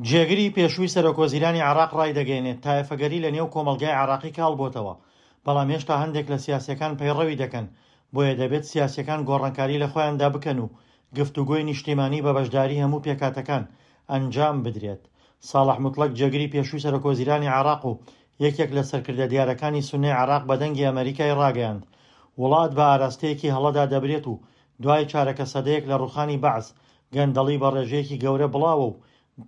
جێگری پێشووی سەرۆکوەزیرانی عێراق ڕایدەگەیەنێت، تایەفەگەری لە نێو کۆمەڵگای عێراقی کاڵ بۆتەوە، بەڵام هێشتا هەندێک لە سیاسییەکان پەیڕەوی دەکەن، بۆیە دەبێت سیاسییەکان گۆڕانکاری لە خۆیاندا بکەن و گفتوگۆی نیشتیمانی بە بەشداری هەموو پێکهاتەکان ئەنجام بدرێت. ساڵح موتڵەگ جێگری پێشووی سەرۆکوەزیرانی عێراق و یەکێک لە سەرکردە دیارەکانی سوننەی عێراق بە دەنگی ئەمەریکای ڕاگەیاند، وڵات بە ئاراستەیەکی هەڵەدا دەبرێت و دوای چارەکە سەدەیەک لە ڕووخانی بەعس گەندەڵی بە ڕێژەیەکی گەورە بڵاوە و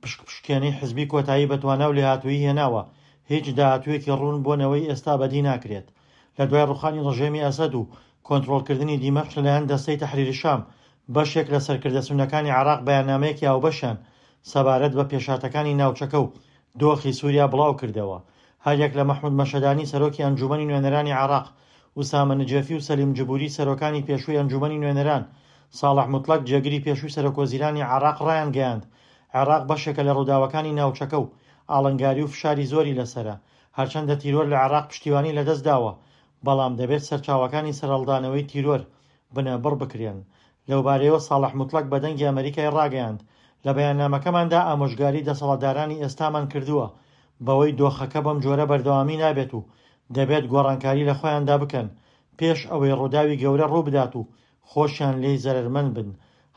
پشکپشکێنەی حزبی کۆتایی بە توانا و لێهاتوویی هێناوە، هیچ داهاتوویەکی ڕوون بۆ نەوەی ئێستا بەدی ناکرێت. لە دوای ڕووخانی ڕژێمی ئەسەد و کۆنترۆڵکردنی دیمەشق لەلایەن دەستەی تەحریر شام، بەشێک لە سەرکردە سوننەکانی عێراق بەیاننامەیەکی هاوبەشیان سەبارەت بە پێشهاتەکانی ناوچەکە و دۆخی سووریا بڵاوکردەوە. هەریەک لە مەحمود مەشهەدانی سەرۆکی ئەنجوومەنی نوێنەرانی عێراق، ئوسامە نجێفی و سەلیم جبوری سەرۆکانی پێشووی ئەنجوومەنی نوێنەران، ساڵح موتڵەگ جێگری پێشووی سەرۆکوەزیرانی عێراق ڕایانگەیاند، عێراق بەشێکە لە ڕووداوەکانی ناوچەکە و ئاڵنگاری و فشاری زۆری لەسەرە، هەرچەندە تیرۆر لە عێراق پشتیوانی لەدەستداوە، بەڵام دەبێت سەرچاوەکانی سەرهەڵدانەوەی تیرۆر بنەبڕ بکرێن. لەوبارەیەوە ساڵح موتڵەگ بە دەنگی ئەمەریکای ڕاگەیاند، لە بەیاننامەکەماندا ئامۆژگاری دەسەڵاتدارانی ئێستامان کردووە بەوەی دۆخەکە بەم جۆرە بەردەوامی نابێت و دەبێت گۆڕانکاری لە خۆیاندا بکەن پێش ئەوەی ڕووداوی گەورە ڕووبدات و خۆشیان لێی زەرەرمەند بن.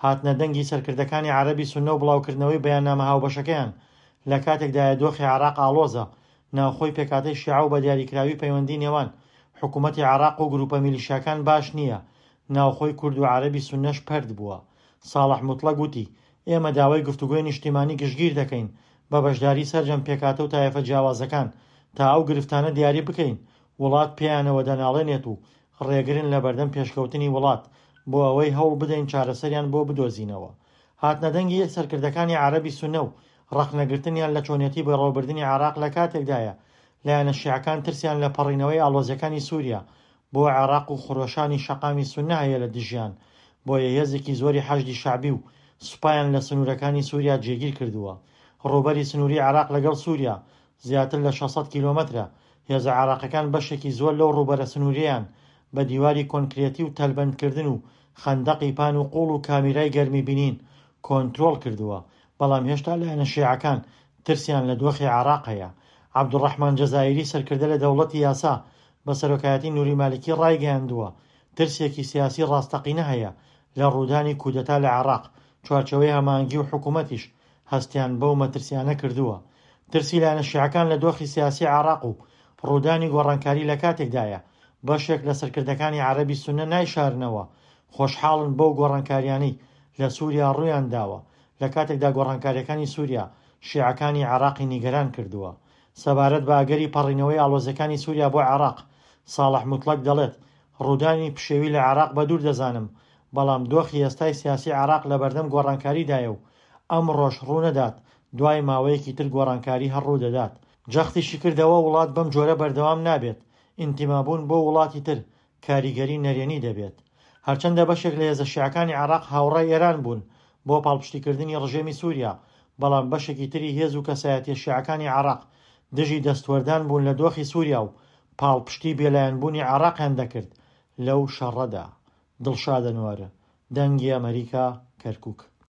هاتنە دەنگی سەرکردەکانی عەرەبی سوننە و بڵاوکردنەوەی بەیاننامە هاوبەشەکەیان لە کاتێکدایە دۆخی عێراق ئاڵۆزە، ناوخۆی پێکهاتەی شیعە و بە دیاریکراوی پەیوەندی نێوان حکوومەتی عێراق و گرووپە میلیشیاکان باش نییە، ناوخۆی کورد و عەرەبی سوننەش پەرت بووە. ساڵح موتڵەگ وتی، ئێمە داوای گفتوگۆی نیشتیمانی گشتگیر دەکەین بە بەشداری سەرجەم پێکهاتە و تایەفە جیاوازەکان تا ئەو گرفتانە دیاری بکەین وڵات پێیانەوە دەناڵێنێت و ڕێگرن لەبەردەم پێشکەوتنی وڵات بۆ ئەوەی هەوڵ بدەین چارەسەریان بۆ بدۆزینەوە. هاتنەدەنگی سەرکردەکانی عەرەبی سوننە و ڕەخنەگرتنیان لە چۆنیەتی بەڕێوەبردنی عێراق لە کاتێکدایە لایەنە شیعەکان ترسیان لە پەڕینەوەی ئاڵۆزیەکانی سوریا بۆ عێراق و خرۆشانی شەقامی سوننە هەیە لە دژیان بۆیە هێزێکی زۆری حەشدی شەعبی و سوپایان لە سنوورەکانی سوریا جێگیر کردووە. ڕووبەری سنووری عێراق لەگەڵ سوریا زیاتر لە 600 کیلۆمەترە، هێزە عێراقیەکان بەشێکی زۆر لەو ڕووبەرە سنووریەیان بە دیواری کۆنکرێتی و تەلبەندکردن و خەندەقی پان و قووڵ و کامیرای گەرمی بینین کۆنترۆڵ کردووە، بەڵام هێشتا لایەنە شیعەکان ترسیان لە دۆخی عێراق هەیە. عەبدولڕەحمان جەزائیری سەرکردە لە دەوڵەتی یاسا بە سەرۆکایەتی نوری مالکی ڕایگەیاندووە، ترسێکی سیاسی ڕاستەقینە هەیە لە ڕوودانی کودەتا لە عێراق، چوارچێوەی هەماهەنگی و حکومەتیش هەستیان بەو مەترسیانە کردووە. ترسی لایەنە شیعەکان لە دۆخی سیاسی عێراق و ڕوودانی گۆڕانکاری لە کاتێکدایە بەشێک لە سەرکردەکانی عەرەبی سوننە نایشارنەوە خۆشحاڵن بەو گۆڕانکاریانەی لە سوریا ڕوویان داوە، لە کاتێکدا گۆڕانکاریەکانی سوریا شیعەکانی عێراقی نیگەران کردووە. سەبارەت بە ئەگەری پەڕینەوەی ئاڵۆزیەکانی سوریا بۆ عێراق، ساڵح موتڵەگ دەڵێت، ڕوودانی پشێوی لە عێراق بەدوور دەزانم، بەڵام دۆخی ئێستای سیاسی عێراق لەبەردەم گۆڕانکاریدایە و ئەمڕۆش ڕوونەدات، دوای ماوەیەکی تر گۆڕانکاری هەر ڕوودەدات. جەختیشی کردەوە، وڵات بەم جۆرە بەردەوام نابێت، ئینتیمابوون بۆ وڵاتی تر کاریگەری نەرێنی دەبێت. هەرچەندە بەشێک لە هێزە شیعەکانی عێراق هاوڕای ئێران بوون بۆ پاڵپشتیکردنی ڕژێمی سووریا، بەڵام بەشێکی تری هێز و کەسایەتیە شیعەکانی عێراق دژی دەستوەردان بوون لە دۆخی سووریا و پاڵپشتی بێلایەنبوونی عێراقیان دەکرد لەو شەڕەدا. دڵشاد ئەنوەر، دەنگی ئەمەریکا، کەرکوک.